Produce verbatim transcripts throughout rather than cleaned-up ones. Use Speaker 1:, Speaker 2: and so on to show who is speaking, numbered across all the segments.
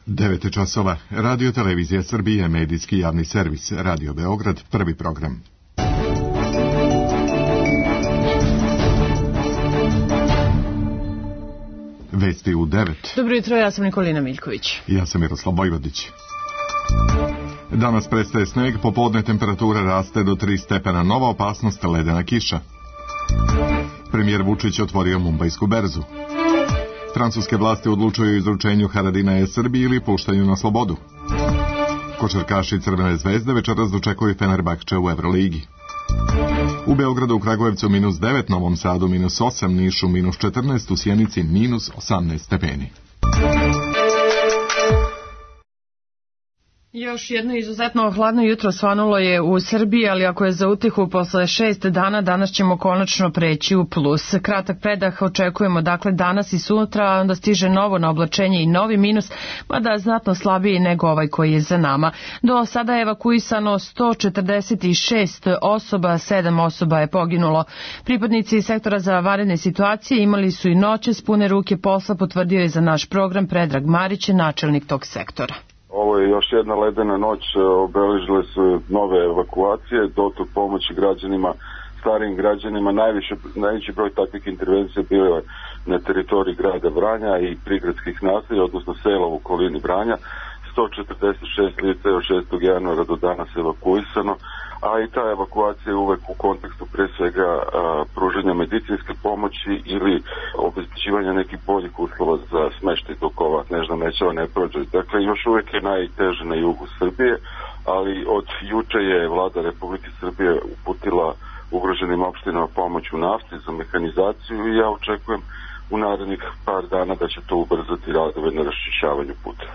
Speaker 1: devet časova. Radio Televizija Srbije, medijski javni servis, Radio Beograd, prvi program. Vesti u devet.
Speaker 2: Dobro jutro, ja sam Nikolina Miljković.
Speaker 1: Ja sam Miroslav Bojvodić. Danas prestaje sneg, popodne temperatura raste do tri stepena, nova opasnost ledena kiša. Premijer Vučić otvorio Mumbajsku berzu. Francuske vlasti odlučuju o izručenju Haradinaja Srbiji ili puštanju na slobodu. Košarkaši Crvene zvezde večeras dočekuju Fenerbahče u Evroligi. U Beogradu, u Kragujevcu minus devet, Novom Sadu minus osam, Nišu minus četrnaest, u Sjenici minus osamnaest stepeni.
Speaker 2: Još jedno izuzetno hladno jutro svanulo je u Srbiji, ali ako je za utehu posle šest dana, danas ćemo konačno preći u plus. Kratak predah očekujemo dakle danas i sutra, onda stiže novo na oblačenje i novi minus, mada znatno slabiji nego ovaj koji je za nama. Do sada je evakuisano sto četrdeset šest osoba, sedam osoba je poginulo. Pripadnici sektora za vanredne situacije imali su i noćas pune ruke posla, potvrdio je za naš program Predrag Marić, načelnik tog sektora.
Speaker 3: Ovo je još jedna ledena noć, obeležile su nove evakuacije, dotok pomoći građanima, starijim građanima. Najviše, najveći broj takvih intervencija bio je na teritoriji grada Vranja i prigradskih naselja, odnosno sela u okolini Vranja. sto četrdeset šest lica je od šestog januara do danas evakuisano, a i ta evakuacija je uvek u kontekstu pre svega a, pružanja medicinske pomoći ili obezbeđivanja nekih boljih uslova za smeštaj dok ova nežna mećava ne prođe. Dakle, još uvek je najteže na jugu Srbije, ali od juče je vlada Republike Srbije uputila ugroženim opštinama pomoć u nafti za mehanizaciju i ja očekujem u narednih par dana da će to ubrzati radove na raščišćavanju puta.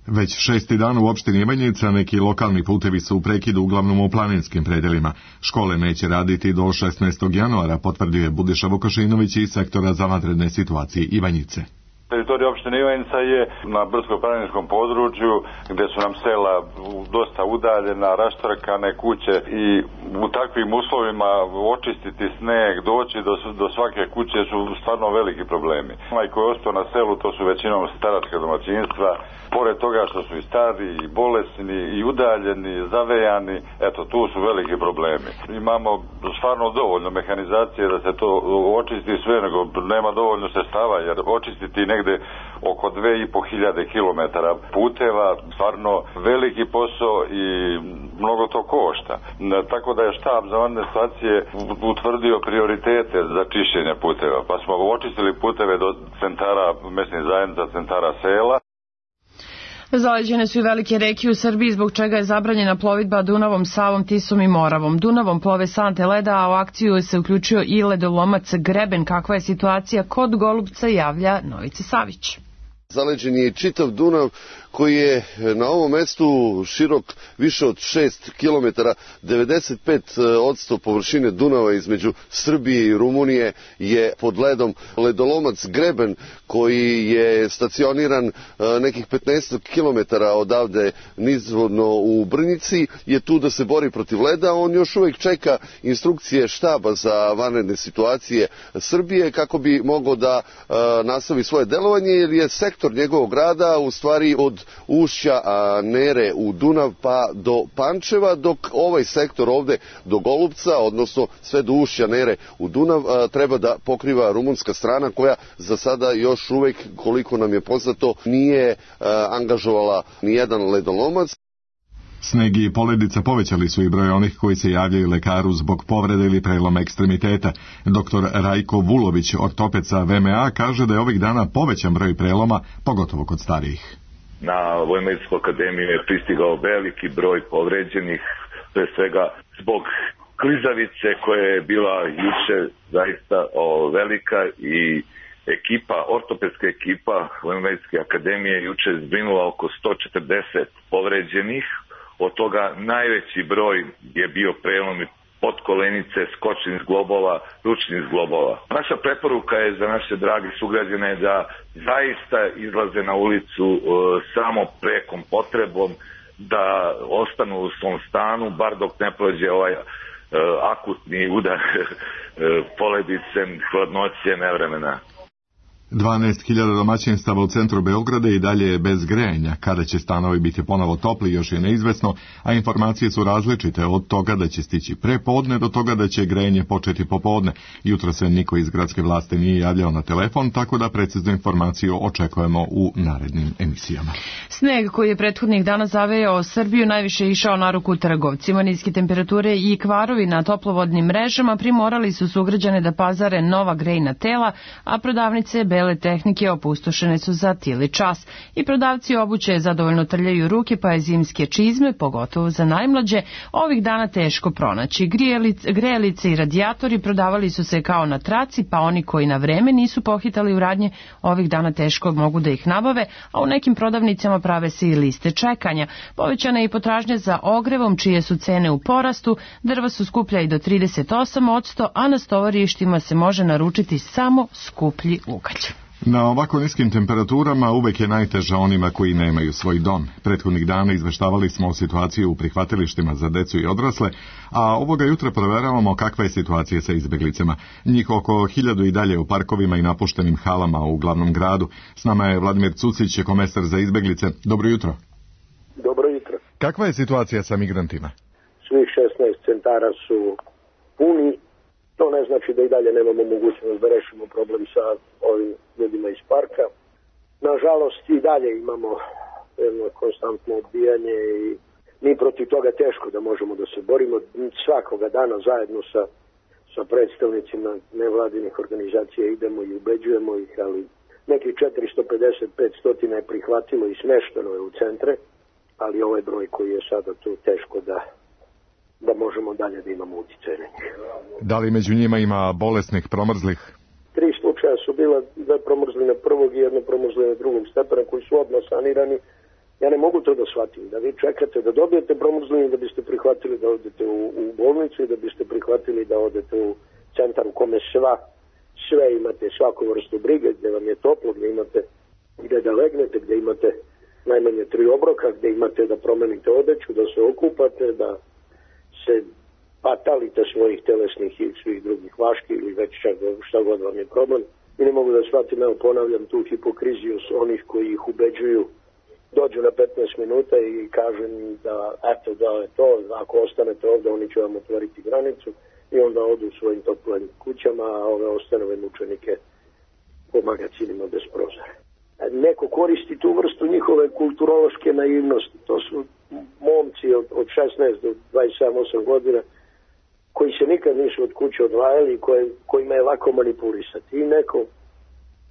Speaker 1: Već šesti dan u opštini Ivanjica neki lokalni putevi su u prekidu, uglavnom u planinskim predelima. Škole neće raditi do šesnaestog januara, potvrdio je Budiša Vukašinović iz sektora za vanredne situacije Ivanjice.
Speaker 4: Teritorija opštine Ivanjica je na brdsko-planinskom području gdje su nam sela dosta udaljena, raštrkane kuće i u takvim uslovima očistiti sneg, doći do, do svake kuće su stvarno veliki problemi. Onaj koji je ostao na selu, to su većinom staračka domaćinstva, pored toga što su i stari, i bolesni, i udaljeni, zavejani, eto tu su veliki problemi. Imamo stvarno dovoljno mehanizacije da se to očisti sve, nego nema dovoljno sredstava, jer očistiti negdje oko dve i po hiljade kilometara puteva, stvarno veliki posao i mnogo to košta. Tako da je štab za vanredne situacije utvrdio prioritete za čišćenje puteva, pa smo očistili puteve do centara mesnih zajednica, centara sela.
Speaker 2: Zaleđene su i velike reke u Srbiji, zbog čega je zabranjena plovidba Dunavom, Savom, Tisom i Moravom. Dunavom plove sante leda, a u akciju se uključio i ledolomac Greben. Kakva je situacija kod Golubca, javlja Novica Savić.
Speaker 5: Zaleđen je čitav Dunav koji je na ovom mestu širok više od šest kilometara. devedeset pet posto površine Dunava između Srbije i Rumunije je pod ledom. Ledolomac Greben koji je stacioniran nekih petnaest kilometara odavde nizvodno u Brnjici je tu da se bori protiv leda. On još uvijek čeka instrukcije štaba za vanredne situacije Srbije kako bi mogao da nastavi svoje delovanje, jer je sektor njegovog rada u stvari od ušća Nere u Dunav pa do Pančeva, dok ovaj sektor ovde do Golubca, odnosno sve do ušća Nere u Dunav, treba da pokriva rumunska strana koja za sada još uvek, koliko nam je poznato, nije angažovala ni jedan ledolomac.
Speaker 1: Sneg i poledica povećali su i broj onih koji se javljaju lekaru zbog povrede ili preloma ekstremiteta. Doktor Rajko Vulović, ortoped sa V M A, kaže da je ovih dana povećan broj preloma, pogotovo kod starijih.
Speaker 6: Na Vojno-medicinsku akademiju je pristigao veliki broj povređenih, pre svega zbog klizavice koja je bila juče zaista o, velika i ekipa, ortopedska ekipa Vojno-medicinske akademije juče zbrinula oko sto četrdeset povređenih. Od toga najveći broj je bio prelom potkolenice, skočnih zglobova, ručnih zglobova. Naša preporuka je za naše dragi sugrađane da zaista izlaze na ulicu e, samo prekom potrebom, da ostanu u svom stanu, bar dok ne prođe ovaj e, akutni udar e, poledice, hladnoće, nevremena.
Speaker 1: dvanaest hiljada domaćinstava u centru Beograda i dalje je bez grejanja. Kada će stanovi biti ponovo topli još je neizvesno, a informacije su različite od toga da će stići pre podne do toga da će grejanje početi popodne. Jutro se niko iz gradske vlasti nije javljao na telefon, tako da preciznu informaciju očekujemo u narednim emisijama.
Speaker 2: Sneg koji je prethodnih dana zavejao Srbiju najviše je išao na ruku trgovcima. Niske temperature i kvarovi na toplovodnim mrežama primorali su sugrađane da pazare nova grejna tela, a prodavnice bele tehnike opustošene su za tili čas. I prodavci obuće zadovoljno trljaju ruke, pa je zimske čizme, pogotovo za najmlađe, ovih dana teško pronaći. Grijelice, grejalice i radijatori prodavali su se kao na traci, pa oni koji na vreme nisu pohitali u radnje, ovih dana teško mogu da ih nabave, a u nekim prodavnicama prave se i liste čekanja. Povećana je i potražnja za ogrevom, čije su cene u porastu, drva su skuplja i do trideset osam posto, a na stovarištima se može naručiti samo skuplji ugalj.
Speaker 1: Na ovako niskim temperaturama uvek je najteža onima koji nemaju svoj dom. Prethodnih dana izveštavali smo o situaciji u prihvatilištima za decu i odrasle, a ovoga jutra proveravamo kakva je situacija sa izbeglicama. Njih oko hiljadu i dalje u parkovima i napuštenim halama u glavnom gradu. S nama je Vladimir Cucić, komesar za izbeglice. Dobro jutro.
Speaker 7: Dobro jutro.
Speaker 1: Kakva je situacija sa migrantima?
Speaker 7: Svih šesnaest centara su puni. To ne znači da i dalje nemamo mogućnost da rešimo problem sa ovim ljudima iz parka. Nažalost i dalje imamo jedno konstantno odbijanje i mi protiv toga teško da možemo da se borimo. Svakoga dana zajedno sa, sa predstavnicima nevladinih organizacija idemo i ubeđujemo ih, ali nekih četiristo pedeset do petsto je prihvatilo i smešteno je u centre, ali ovaj broj koji je sada tu teško da da možemo dalje da imamo utjecaj na njih.
Speaker 1: Da li među njima ima bolesnih, promrzlih?
Speaker 7: Tri slučaja su bila, dve promrzline prvog i jedno promrzline drugog stepena koji su odmah sanirani. Ja ne mogu to da shvatim, da vi čekate da dobijete promrzlinu da biste prihvatili da odete u, u bolnicu i da biste prihvatili da odete u centar u kome sva, sve imate, svaku vrstu brige, gde vam je toplo, gde imate gde da legnete, gde imate najmanje tri obroka, gde imate da promenite odeću, da se okupate, da se patalite svojih telesnih i svih drugih vaški ili već čak šta god vam je problem. I ne mogu da shvatim, evo ponavljam tu hipokriziju s onih koji ih ubeđuju, dođu na petnaest minuta i kažu da eto da je to, ako ostanete ovde oni će vam otvoriti granicu i onda odu u svojim toplim kućama, a ove ostanove mučenike po magacinima bez prozora. Neko koristi tu vrstu njihove kulturološke naivnosti. To su momci od, od šesnaest do dvadeset sedam osam godina koji se nikad nisu od kuće odvajali i koje, kojima je lako manipulisati. I neko,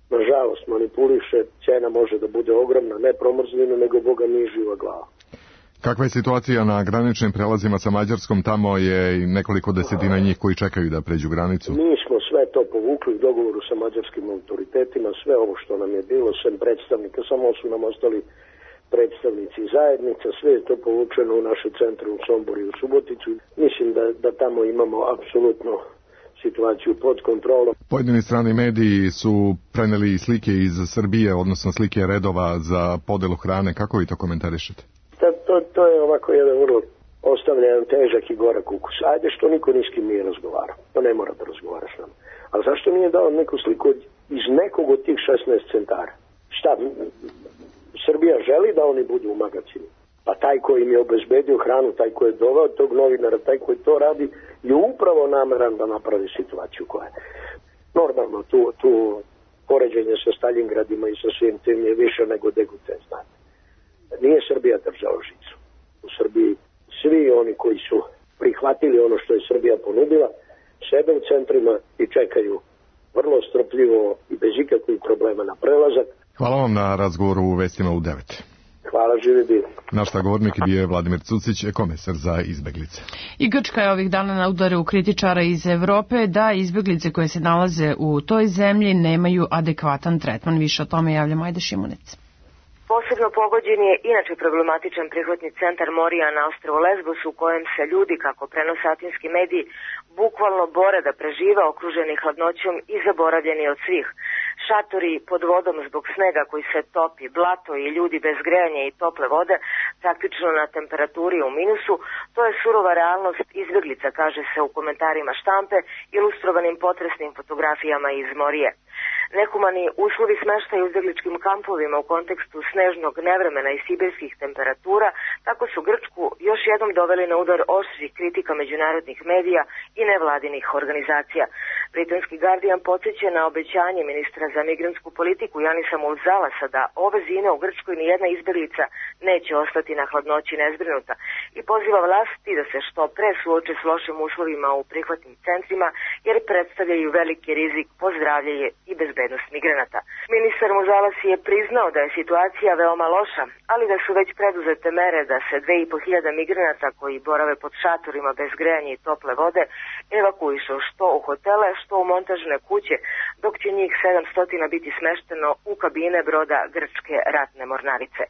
Speaker 7: nažalost, manipuliše, cena može da bude ogromna, ne promrzlina, nego Boga nije živa glava.
Speaker 1: Kakva je situacija na graničnim prelazima sa Mađarskom? Tamo je i nekoliko desetina njih koji čekaju da pređu granicu.
Speaker 7: Mi smo sve to povukli u dogovoru sa mađarskim autoritetima, sve ovo što nam je bilo, sem predstavnika, samo su nam ostali predstavnici zajednica, sve je to povučeno u naše centre u Somboru i u Suboticu. Mislim da, da tamo imamo apsolutno situaciju pod kontrolom.
Speaker 1: Pojedini strani mediji su preneli slike iz Srbije, odnosno slike redova za podelu hrane. Kako vi to komentarišete?
Speaker 7: To, to, to je ovako jedan vrlo ostavljen težak i gorak ukus. Ajde što niko ni s kim nije razgovarao. To ne mora da razgovara s nama. Ali zašto nije dao neku sliku iz nekog od tih šesnaest centara? Šta? Srbija želi da oni budu u magacinu. Pa taj koji im je obezbedio hranu, taj koji je doveo tog novinara, taj koji to radi, je upravo nameran da napravi situaciju koja je. Normalno, tu, tu poređenje sa Staljingradima i sa svim tim je više nego degutens. Nije Srbija držala žicu. U Srbiji svi oni koji su prihvatili ono što je Srbija ponudila, sebe u centrima i čekaju vrlo strpljivo i bez ikakvih problema na prelazak.
Speaker 1: Hvala vam na razgovoru u Vestima u devet.
Speaker 7: Hvala, živi bili.
Speaker 1: Naš sagovornik je Vladimir Cucić, komesar za izbeglice.
Speaker 2: I Grčka je ovih dana na udaru kritičara iz Evrope da izbeglice koje se nalaze u toj zemlji nemaju adekvatan tretman. Više o tome javlja Majda Šimunec.
Speaker 8: Posebno pogođen je inače problematičan prihvatni centar Morija na ostrvu Lesbos u kojem se ljudi, kako prenose atinski mediji, bukvalno bore da prežive okruženi hladnoćom i zaboravljeni od svih. Šatori pod vodom zbog snega koji se topi, blato i ljudi bez grejanja i tople vode, praktično na temperaturi u minusu, to je surova realnost izbeglica, kaže se u komentarima štampe, ilustrovanim potresnim fotografijama iz Morije. Nehumani uslovi smeštaja u izbegličkim kampovima u kontekstu snežnog nevremena i sibirskih temperatura tako su Grčku još jednom doveli na udar oštrih kritika međunarodnih medija i nevladinih organizacija. Britanski Guardian podsjeća na obećanje ministra za migrantsku politiku Janisa Mulzalasa da ove zime u Grčkoj nijedna izbeglica neće ostati na hladnoći nezbrinuta i poziva vlasti da se što pre suoče s lošim uslovima u prihvatnim centrima jer predstavljaju veliki rizik po zdravlje i bezbednost migranata. Ministar Mulzalas je priznao da je situacija veoma loša, ali da su već preduzete mere da se dve i po hiljada migranata koji borave pod šatorima bez grejanja i tople vode evakuišu što u hotele, što u montažne kuće, dok će njih sedamsto biti smešteno u kabine broda grčke ratne mornarice.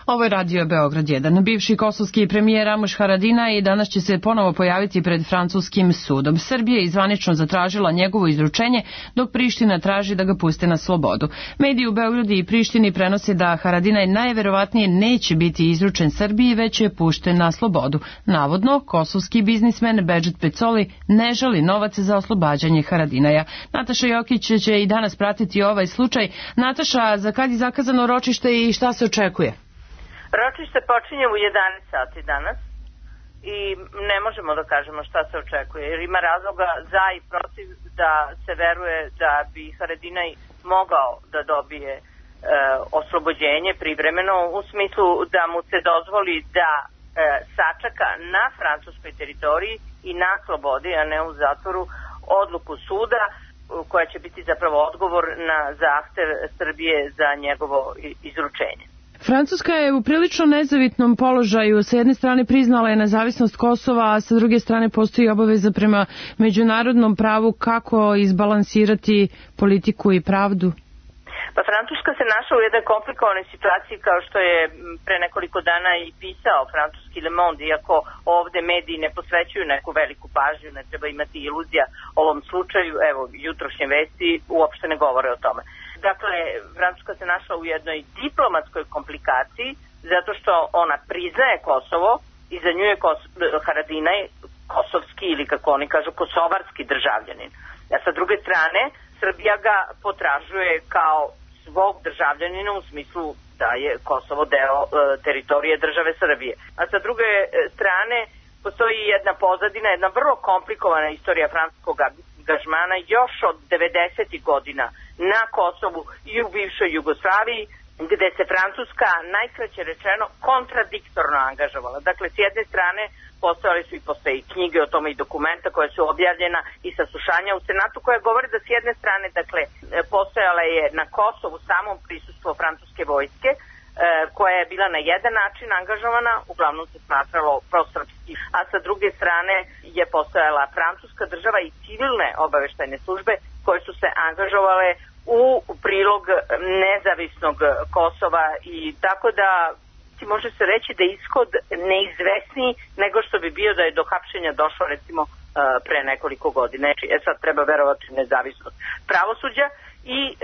Speaker 2: Ovo je radio Beograd jedan. Bivši kosovski premijer Ramuš Haradinaj i danas će se ponovo pojaviti pred francuskim sudom. Srbija je izvanično zatražila njegovo izručenje, dok Priština traži da ga puste na slobodu. Mediji u Beogradu i Prištini prenose da Haradinaj najverovatnije neće biti izručen Srbiji, već je pušten na slobodu. Navodno, kosovski biznismen Bedžet Pecoli ne žali novac za oslobađanje Haradinaja. Nataša Jokić će i danas pratiti ovaj slučaj. Nataša, za kad je zakazano ročište i šta se očekuje?
Speaker 9: Ročište počinje u jedanaest sati danas i ne možemo da kažemo šta se očekuje, jer ima razloga za i protiv da se veruje da bi Haradinaj mogao da dobije e, oslobođenje privremeno, u smislu da mu se dozvoli da e, sačeka na francuskoj teritoriji i na slobodi, a ne u zatvoru, odluku suda koja će biti zapravo odgovor na zahtev Srbije za njegovo izručenje.
Speaker 2: Francuska je u prilično nezavitnom položaju. Sa jedne strane priznala je nezavisnost Kosova, a sa druge strane postoji obaveza prema međunarodnom pravu. Kako izbalansirati politiku i pravdu?
Speaker 9: Pa Francuska se našla u jednoj komplikovanoj situaciji, kao što je pre nekoliko dana i pisao francuski Le Monde, iako ovde mediji ne posvećuju neku veliku pažnju, ne treba imati iluzija o ovom slučaju. Evo, jutrošnje vesti uopšte ne govore o tome. Dakle, Francuska se našla u jednoj diplomatskoj komplikaciji zato što ona priznaje Kosovo i za nju je Kos- Haradinaj kosovski ili kako oni kažu kosovarski državljanin. A sa druge strane, Srbija ga potražuje kao svog državljanina u smislu da je Kosovo deo e, teritorije države Srbije. A sa druge strane, postoji jedna pozadina, jedna vrlo komplikovana istorija francuskog angažmana još od devedesetih godina na Kosovu i u bivšoj Jugoslaviji, gde se Francuska najkraće rečeno kontradiktorno angažovala. Dakle, s jedne strane postojale su i postoje i knjige o tome i dokumenta koje su objavljena i saslušanja u Senatu koje govore da s jedne strane, dakle, postojala je na Kosovu samom prisustvo francuske vojske koja je bila na jedan način angažovana, uglavnom se smatralo prosrpski, a sa druge strane je postojala francuska država i civilne obaveštajne službe koje su se angažovale u prilog nezavisnog Kosova i tako da ti može se reći da je ishod neizvesniji nego što bi bio da je do hapšenja došlo recimo pre nekoliko godina. E sad treba verovati nezavisnost pravosuđa i e,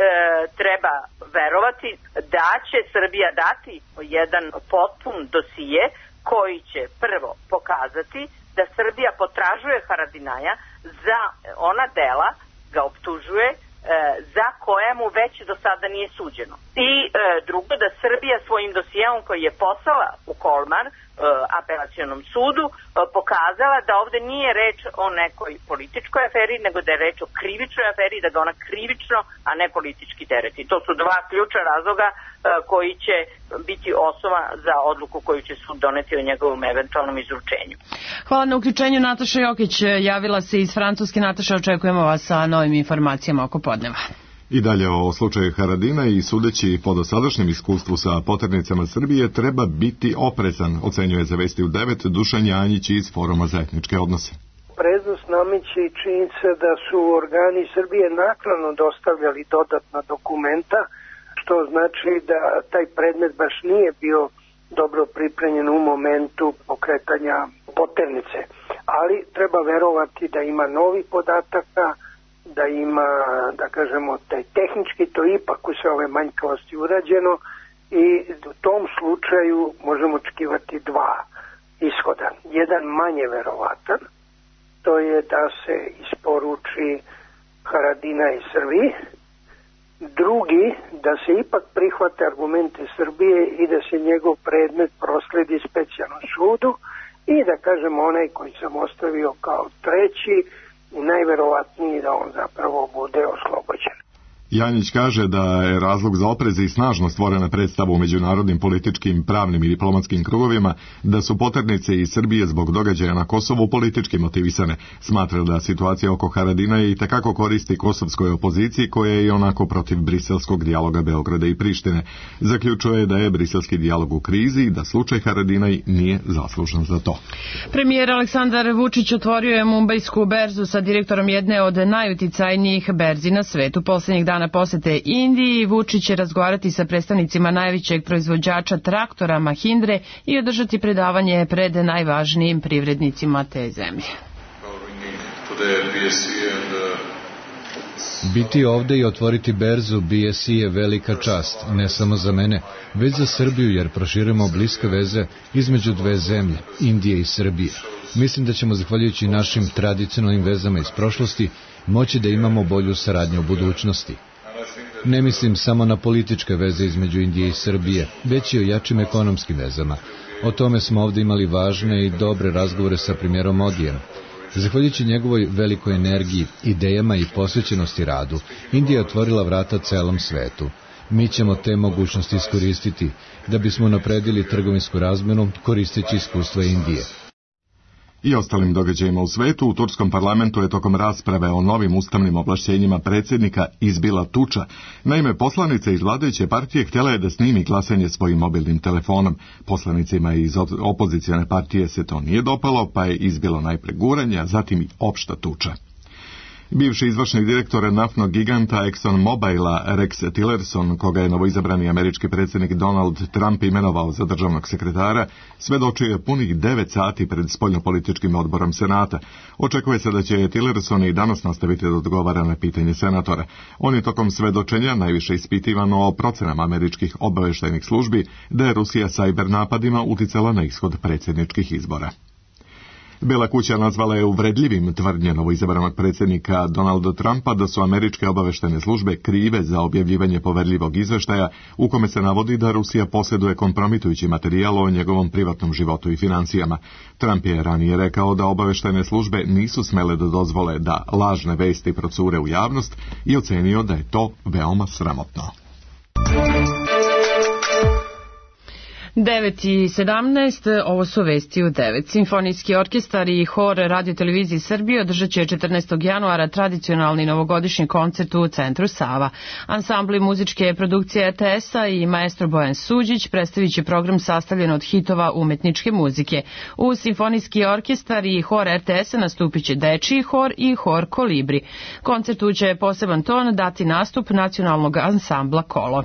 Speaker 9: treba verovati da će Srbija dati jedan potpun dosije koji će prvo pokazati da Srbija potražuje Haradinaja za ona dela, ga optužuje, e, za koje mu već do sada nije suđeno. I e, drugo, da Srbija svojim dosijeom koji je poslala u Kolmar, apelacionom sudu, pokazala da ovde nije reč o nekoj političkoj aferi, nego da je reč o krivičnoj aferi, da ga ona krivično, a ne politički tereti. To su dva ključna razloga koji će biti osnova za odluku koju će sud doneti o njegovom eventualnom izručenju.
Speaker 2: Hvala na uključenju. Nataša Jokić javila se iz Francuske. Nataša, očekujemo vas sa novim informacijama oko podneva.
Speaker 1: I dalje o slučaju Haradina i sudeći po dosadašnjem iskustvu sa poternicama Srbije treba biti oprezan, ocenjuje za Vesti u devet Dušan Janjić iz Foruma za etničke odnose.
Speaker 7: Preznost nameće i činjenica da su organi Srbije naknadno dostavljali dodatna dokumenta, što znači da taj predmet baš nije bio dobro pripremljen u momentu pokretanja poternice. Ali treba verovati da ima novi podataka, da ima, da kažemo, taj tehnički to ipak u sve ove manjkavosti urađeno i u tom slučaju možemo očekivati dva ishoda. Jedan manje verovatan, to je da se isporuči Haradinaj Srbiji. Drugi, da se ipak prihvate argumente Srbije i da se njegov predmet prosledi specijalnom sudu i da kažemo onaj koji sam ostavio kao treći, najverovatniji da on zapravo bude oslobođen.
Speaker 1: Janjić kaže da je razlog za oprez i snažno stvorena predstava u međunarodnim političkim, pravnim i diplomatskim krugovima da su poternice iz Srbije zbog događaja na Kosovu politički motivisane. Smatra da situacija oko Haradinaja i takako koristi kosovskoj opoziciji koja je i onako protiv briselskog dijaloga Beograda i Prištine. Zaključuje da je briselski dijalog u krizi i da slučaj Haradinaj nije zaslužan za to.
Speaker 2: Premijer Aleksandar Vučić otvorio je mumbajsku berzu sa direktorom jedne od najuticajnijih berzi na svetu. Posljednjih dana na posete Indiji, Vučić će razgovarati sa predstavnicima najvećeg proizvođača traktora Mahindre i održati predavanje pred najvažnijim privrednicima te zemlje.
Speaker 10: Biti ovde i otvoriti berzu B S I je velika čast, ne samo za mene, već za Srbiju jer proširujemo bliske veze između dve zemlje, Indije i Srbije. Mislim da ćemo, zahvaljujući našim tradicionalnim vezama iz prošlosti, moći da imamo bolju saradnju u budućnosti. Ne mislim samo na političke veze između Indije i Srbije, već i o jačim ekonomskim vezama. O tome smo ovdje imali važne i dobre razgovore sa premijerom Modijem. Zahvaljujući njegovoj velikoj energiji, idejama i posvećenosti radu, Indija je otvorila vrata celom svetu. Mi ćemo te mogućnosti iskoristiti da bismo napredili trgovinsku razmenu koristeći iskustva Indije.
Speaker 1: I ostalim događajima u svetu, u turskom parlamentu je tokom rasprave o novim ustavnim ovlašćenjima predsjednika izbila tuča. Naime, poslanica iz vladajuće partije htjela je da snimi glasanje svojim mobilnim telefonom. Poslanicima iz opozicijone partije se to nije dopalo, pa je izbilo najpre guranje, a zatim i opšta tuča. Bivši izvršni direktor naftnog giganta ExxonMobila Rex Tillerson, koga je novoizabrani američki predsjednik Donald Trump imenovao za državnog sekretara, svedočio je punih devet sati pred spoljnopolitičkim odborom Senata. Očekuje se da će Tillerson i danas nastaviti da odgovara na pitanje senatora. On je tokom svedočenja najviše ispitivano o procenama američkih obavještajnih službi da je Rusija sajber napadima uticala na ishod predsjedničkih izbora. Bela kuća nazvala je uvredljivim tvrdnje novoizabranog predsjednika Donalda Trumpa da su američke obavještajne službe krive za objavljivanje poverljivog izveštaja u kome se navodi da Rusija posjeduje kompromitujući materijal o njegovom privatnom životu i financijama. Trump je ranije rekao da obavještajne službe nisu smele da dozvole da lažne vesti procure u javnost i ocenio da je to veoma sramotno.
Speaker 2: devet i sedamnaest, ovo su vesti u devet. Simfonijski orkestar i hor Radio-televizije Srbije održat će četrnaestog januara tradicionalni novogodišnji koncert u Centru Sava. Ansambli muzičke produkcije R T S-a i maestro Bojan Suđić predstavit će program sastavljen od hitova umetničke muzike. U Simfonijski orkestar i hor R T S-a nastupit će dečiji hor i hor Kolibri. Koncertu će poseban ton dati nastup nacionalnog ansambla Kolo.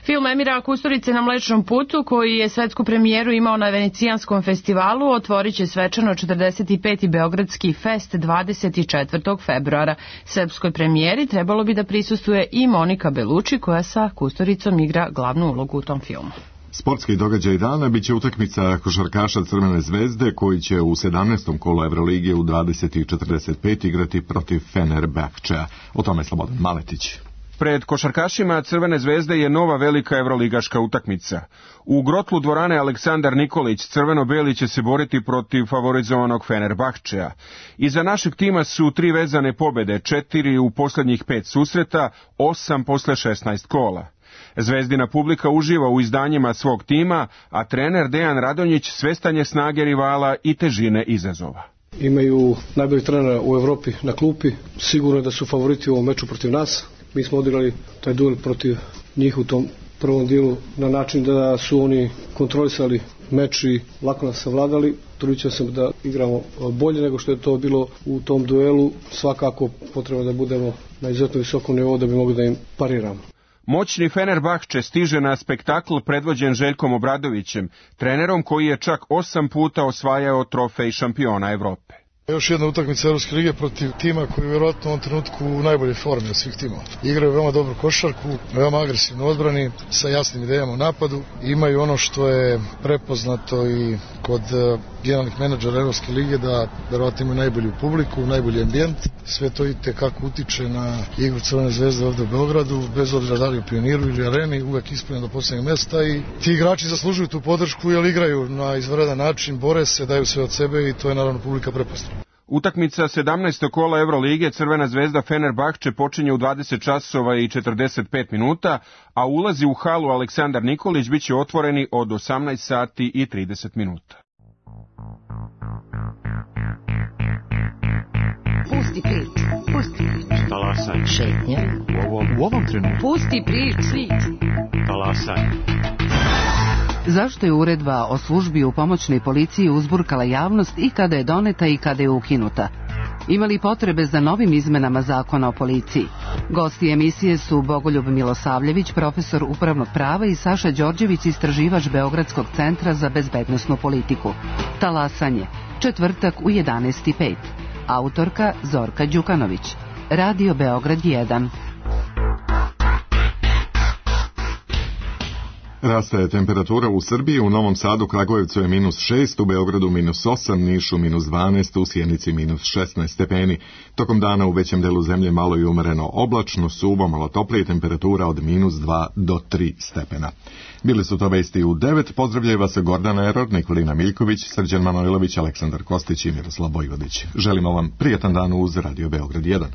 Speaker 2: Film Emira Kusturice na Mlečnom putu, koji je svetsku premijeru imao na Venecijanskom festivalu, otvorit će svečano četrdeset peti Beogradski fest dvadeset četvrtog februara. Srpskoj premijeri trebalo bi da prisustuje i Monika Belucci, koja sa Kusturicom igra glavnu ulogu u tom filmu.
Speaker 1: Sportski događaj dana biće utakmica košarkaša Crvene zvezde koji će u sedamnaestom kolu Evrolige u dvadeset i četrdeset pet igrati protiv Fenerbahčea. O tome Slobodan Maletić.
Speaker 11: Pred košarkašima Crvene zvezde je nova velika evroligaška utakmica. U grotlu dvorane Aleksandar Nikolić crveno-beli će se boriti protiv favorizovanog Fenerbahčea. Iza našeg tima su tri vezane pobjede, četiri u posljednjih pet susreta, osam posle šesnaest kola. Zvezdina publika uživa u izdanjima svog tima, a trener Dejan Radonjić svestan je snage rivala i težine izazova.
Speaker 12: Imaju najboljeg trenera u Evropi na klupi, sigurno da su favoriti u ovom meču protiv nas. Mi smo odigrali taj duel protiv njih u tom prvom dijelu na način da su oni kontrolisali meč i lako nas savladali. Trudit ćemo se da igramo bolje nego što je to bilo u tom duelu. Svakako potrebno da budemo na izuzetno visokom nivou da bi mogli da im pariramo.
Speaker 11: Moćni Fenerbahče stiže na spektakl predvođen Željkom Obradovićem, trenerom koji je čak osam puta osvajao trofej šampiona Evrope.
Speaker 13: Još jedna utakmica Evropske lige protiv tima koji je vjerojatno u ovom trenutku u najboljoj formi od svih timova. Igraju veoma dobru košarku, veoma agresivno odbrani, sa jasnim idejama u napadu. Imaju ono što je prepoznato i kod generalnih menadžera Evropske lige, da vjerojatno imaju najbolju publiku, najbolji ambijent. Sve to i tekako utiče na igru Crvene zvezde ovde u Beogradu, bez obzira da li u Pioniru ili Areni, uvek ispunjeno do poslednjeg mesta i ti igrači zaslužuju tu podršku jer igraju na izvanredan način, bore se, daju sve od sebe i to je naravno publika prepoznala.
Speaker 11: Utakmica sedamnaestog kola Evrolige Crvena zvezda Fenerbahče počinje u dvadeset časova i četrdeset pet minuta, a ulazi u halu Aleksandar Nikolić biće otvoreni od osamnaest sati i trideset minuta.
Speaker 14: Pusti priču, pusti priču.
Speaker 15: Talasaj.
Speaker 14: Šetnja.
Speaker 15: U ovom, u ovom trenutku.
Speaker 14: Pusti priču.
Speaker 15: Talasaj.
Speaker 14: Zašto je uredba o službi u pomoćnoj policiji uzburkala javnost i kada je doneta i kada je ukinuta? Ima li potrebe za novim izmenama zakona o policiji? Gosti emisije su Bogoljub Milosavljević, profesor upravnog prava, i Saša Đorđević, istraživač Beogradskog centra za bezbednosnu politiku. Talasanje, četvrtak u jedanaest i pet. Autorka Zorka Đukanović. Radio Beograd jedan.
Speaker 1: Raste temperatura u Srbiji, u Novom Sadu, Kragujevcu je minus šest, u Beogradu minus osam, Nišu minus dvanaest, u Sjenici minus šesnaest stepeni. Tokom dana u većem delu zemlje malo i umereno oblačno, suvo, malo toplije, temperatura od minus dva do tri stepena. Bili su to vesti u devet, pozdravljaju vas Gordana Eror, Nikolina Miljković, Srđan Manojlović, Aleksandar Kostić i Miroslav Bojvodić. Želimo vam prijatan dan uz Radio Beograd jedan.